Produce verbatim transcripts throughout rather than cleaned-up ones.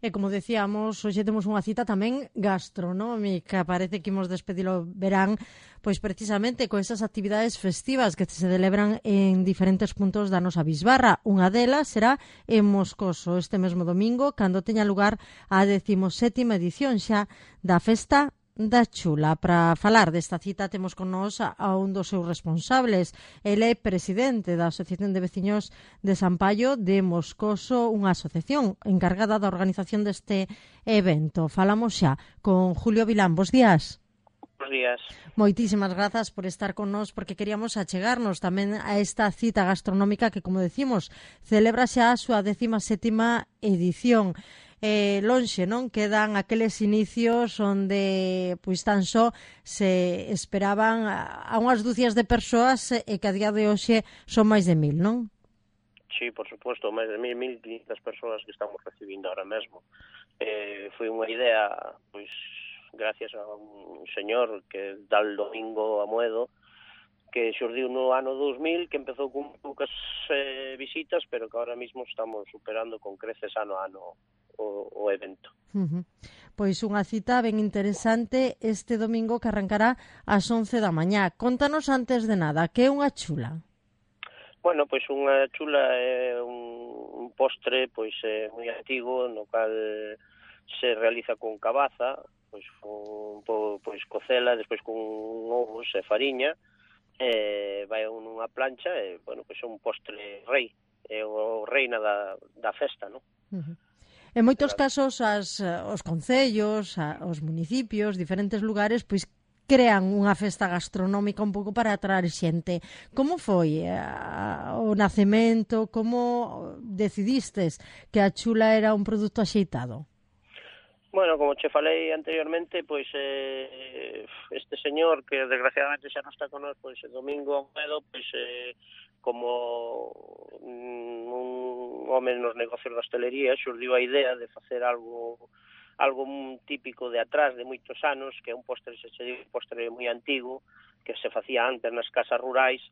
E como decíamos, hoxe temos unha cita tamén gastronómica. Parece que imos despedir o verán, pois precisamente con esas actividades festivas que se celebran en diferentes puntos da nosa bisbarra. Unha delas será en Moscoso este mesmo domingo, cando teña lugar a decimosétima edición xa da Festa da Chula. Para falar desta cita temos con nós a un dos seus responsables. Ele é presidente da Asociación de Veciños de San Paio de Moscoso, unha asociación encargada da organización deste evento. Falamos xa con Julio Vilán. Bos días. Bos días. Moitísimas grazas por estar con nós, porque queríamos achegarnos tamén a esta cita gastronómica que, como decimos, celebra xa a súa décima sétima edición. Eh, lonxe, non? Quedan aqueles inicios onde pois tan só se esperaban a unhas dúcias de persoas e que a día de hoxe son máis de mil, non? Sí, por suposto, máis de mil, mil quinhentas persoas que estamos recibindo ahora mesmo. Eh, foi unha idea, pois, gracias a un señor que dá el domingo a Moedo, que xurdiu no ano dos mil, que empezou con poucas eh, visitas, pero que ahora mismo estamos superando con creces ano a ano o, o evento. Uh-huh. Pois unha cita ben interesante este domingo que arrancará ás once da mañá. Contanos antes de nada, que é unha chula? Bueno, pois unha chula é un, un postre pois é moi antigo, no cal se realiza con cabaza, pois con pois cocela, despois con ovos e fariña, e vai nunha plancha e, bueno, pois é un postre rei, é o reina da, da festa, non? Uh-huh. En moitos casos, as, os concellos, a, os municipios, diferentes lugares, pois crean unha festa gastronómica un pouco para atraer xente. Como foi a, o nacemento? Como decidistes que a chula era un produto axeitado? Bueno, como che falei anteriormente, pois eh, este señor, que desgraciadamente xa non está con nós, pois el domingo a Moedo, pois eh, como un home nos negocios da hostelería, xurdiu a idea de facer algo algo típico de atrás, de moitos anos, que é un postre, se che digo, un postre moi antigo, que se facía antes nas casas rurais,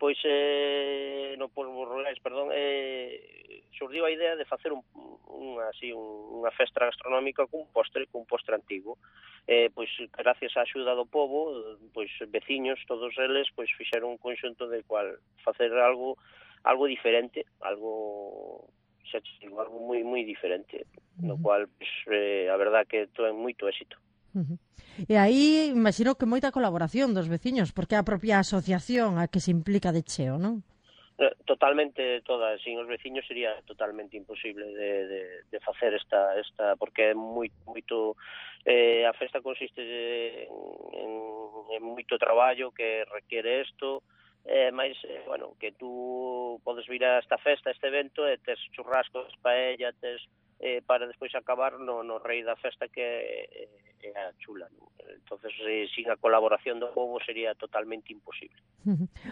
pois eh, no polvos rurais, perdón, eh, xurdiu a idea de facer un, un, así, un, unha festa gastronómica cun postre, cun postre antigo. Eh, pois gracias á axuda do pobo, pois veciños, todos eles, pois fixeron un conxunto de cual facer algo algo diferente, algo xa digo, algo moi moi diferente, no cual pois, eh, a verdad que ten moito éxito. Uh-huh. E aí, imagino que moita colaboración dos veciños, porque a propia asociación a que se implica de cheo, non? Totalmente todas, sin os veciños sería totalmente imposible de, de, de facer esta, esta porque é moi, moito, eh, a festa consiste en, en, en moito traballo que requiere isto, eh, máis, eh, bueno, que tú podes vir a esta festa, a este evento, e tes churrascos, paella, tes eh, para despois acabar no, no rei da festa que é, é a chula, non? Entonces, eh, sin a colaboración do pobo sería totalmente imposible.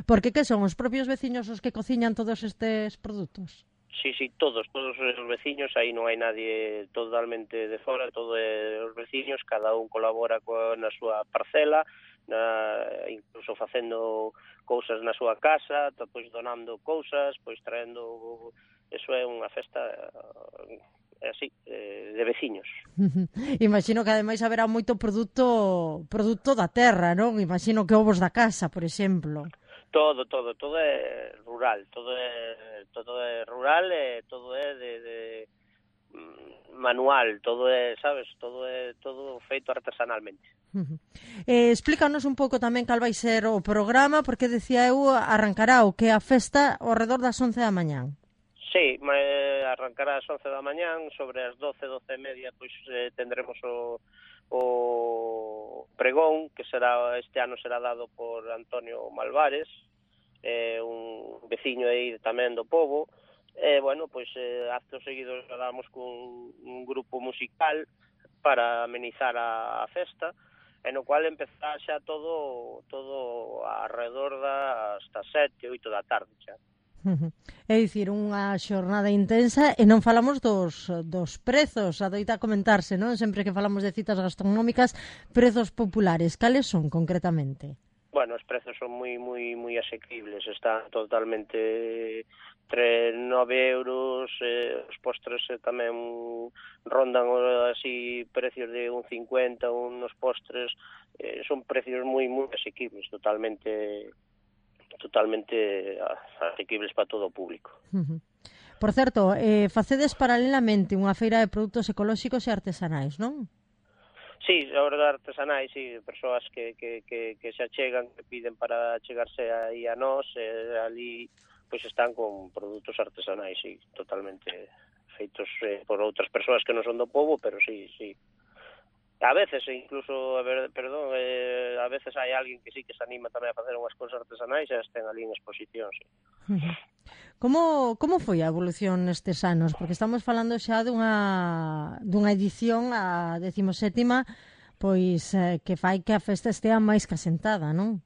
Porque que son os propios veciños os que cociñan todos estes produtos? Sí, sí, todos, todos os veciños, aí non hai nadie totalmente de fora, todos os veciños, cada un colabora co, na súa parcela, na, incluso facendo cousas na súa casa, pois donando cousas, pois traendo, eso é unha festa así, de veciños. Imagino que ademais haberá moito produto produto da terra, non? Imagino que ovos da casa, por exemplo. Todo, todo, todo é rural, todo é todo é rural e todo é de, de manual, todo é, sabes, todo é todo feito artesanalmente. Uh-huh. Eh, explícanos un pouco tamén cal vai ser o programa, porque decía eu arrancará o que a festa ao redor das once da mañán. Sí, arrancará ás once da mañán, sobre as doce, doce e media, pois eh, tendremos o, o pregón, que será este ano será dado por Antonio Malvares, eh, un veciño aí tamén do pobo, e, eh, bueno, pois eh, actos seguidos damos con un grupo musical para amenizar a, a festa, e no cual empezará xa todo todo alrededor das hasta sete, oito da tarde xa. Uh-huh. É dicir, unha xornada intensa, e non falamos dos, dos prezos, adoita comentarse, non? Sempre que falamos de citas gastronómicas, prezos populares, cales son concretamente? Bueno, os prezos son moi moi moi asequibles, están totalmente entre nove euros, eh, os postres eh, tamén rondan así precios de un cincuenta, unos postres, eh, son precios moi moi asequibles, totalmente totalmente asequibles para todo o público. Uh-huh. Por certo, eh, facedes paralelamente unha feira de produtos ecolóxicos e artesanais, non? Sí, a verdade, artesanais, sí, persoas que, que, que, que se achegan, que piden para chegarse aí a nós, eh, ali pois están con produtos artesanais, sí, totalmente feitos eh, por outras persoas que non son do povo, pero sí, sí. A veces, incluso, a ver, perdón, eh, a veces hai alguén que sí que se anima tamén a facer unhas cousas artesanais e as ten ali en exposición, sí. Como, como foi a evolución nestes anos? Porque estamos falando xa dunha, dunha edición, a decimosétima, pois eh, que fai que a festa estea máis que asentada, non?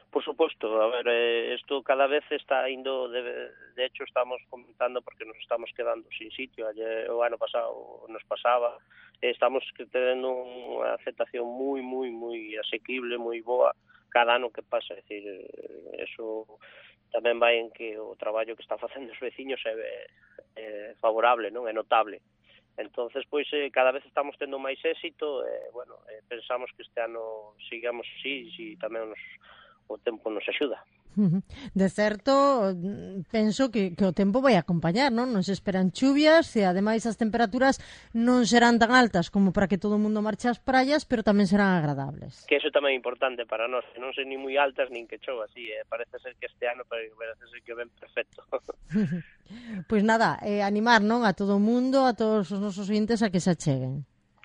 Por suposto, a ver, eh, isto cada vez está indo, de, de hecho estamos comentando porque nos estamos quedando sin sitio, ayer, o ano pasado nos pasaba, eh, estamos tendo unha aceptación moi, moi, moi asequible, moi boa cada ano que pasa, é dicir, eso tamén vai en que o traballo que están facendo os veciños é, é favorable, non? É notable. Entonces, pois, eh, cada vez estamos tendo máis éxito, e, eh, bueno, eh, pensamos que este ano sigamos así, e tamén nos o tempo nos axuda. De certo, penso que, que o tempo vai acompañar, non? Non se esperan chuvias e, ademais, as temperaturas non serán tan altas como para que todo o mundo marche ás praias, pero tamén serán agradables. Que eso tamén é importante para nós, que non se nin moi altas nin que chova, así, eh? Parece ser que este ano parece ser que ven perfecto. Pois nada, eh, animar, non? A todo o mundo, a todos os nosos ointes a que se acheguen.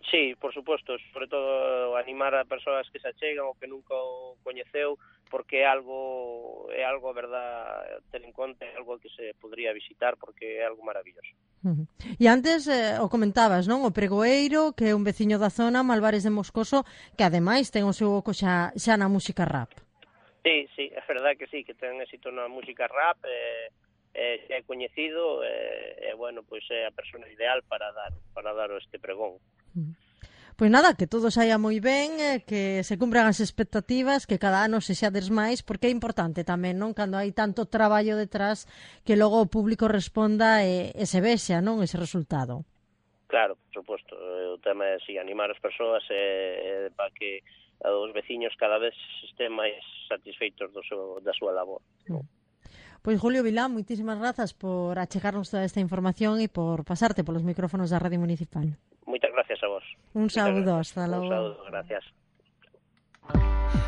Sí, por suposto, sobre todo animar a persoas que se achegan ou que nunca o coñeceu, porque é algo, é algo, a verdad, ter en conta, é algo que se podría visitar, porque é algo maravilloso. Uh-huh. E antes eh, o comentabas, non? O Pregoeiro, que é un veciño da zona, Malvares de Moscoso, que ademais ten o seu oco xa, xa na música rap. Sí, sí, é verdade que sí, que ten éxito na música rap, eh, eh, é coñecido, e eh, eh, bueno, pois é a persona ideal para dar para dar este pregón. Uh-huh. Pois nada, que todo saia moi ben, que se cumpran as expectativas, que cada ano se xades máis, porque é importante tamén, non? Cando hai tanto traballo detrás, que logo o público responda e, e se vexa, non? Ese resultado. Claro, por suposto. O tema é si animar as persoas e, e para que os veciños cada vez estén máis satisfeitos do seu, da súa labor. Mm. Pois Julio Vilán, moitísimas grazas por achegarnos toda esta información e por pasarte polos micrófonos da Radio Municipal. Moitas gracias a vos. Un saúdo, hasta logo. Un saúdo, gracias.